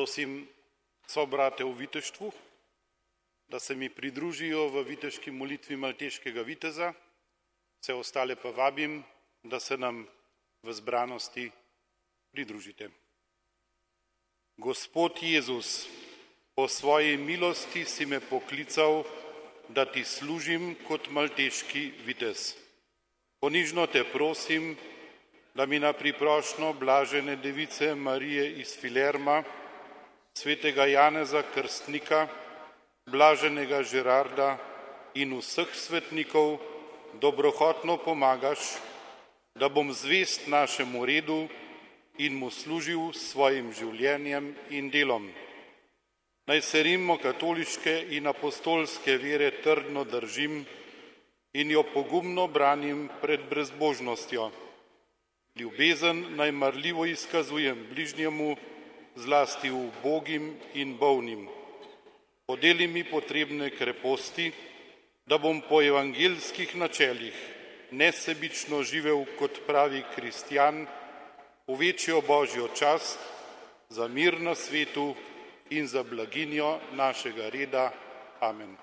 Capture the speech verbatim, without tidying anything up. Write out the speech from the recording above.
Prosim sobrate v viteštvu, da se mi pridružijo v viteški molitvi malteškega viteza, vse ostale pa vabim, da se nam v zbranosti pridružite. Gospod Jezus, po svoji milosti si me poklical, da ti služim kot malteški vitez. Ponižno te prosim, da mi na priprošnjo blažene device Marije iz Filerma, svetega Janeza Krstnika, blaženega Žerarda in vseh svetnikov dobrohotno pomagaš, da bom zvest našemu redu in mu služil s svojim življenjem in delom. Naj se rimokatoliške in apostolske vere trdno držim in jo pogumno branim pred brezbožnostjo. Ljubezen naj marljivo izkazujem bližnjemu, zlasti ubogim in bolnim. Podeli mi potrebne kreposti, da bom po evangeljskih načelih nesebično živel kot pravi kristjan, v večjo božjo čast, za mir na svetu in za blaginjo našega reda. Amen.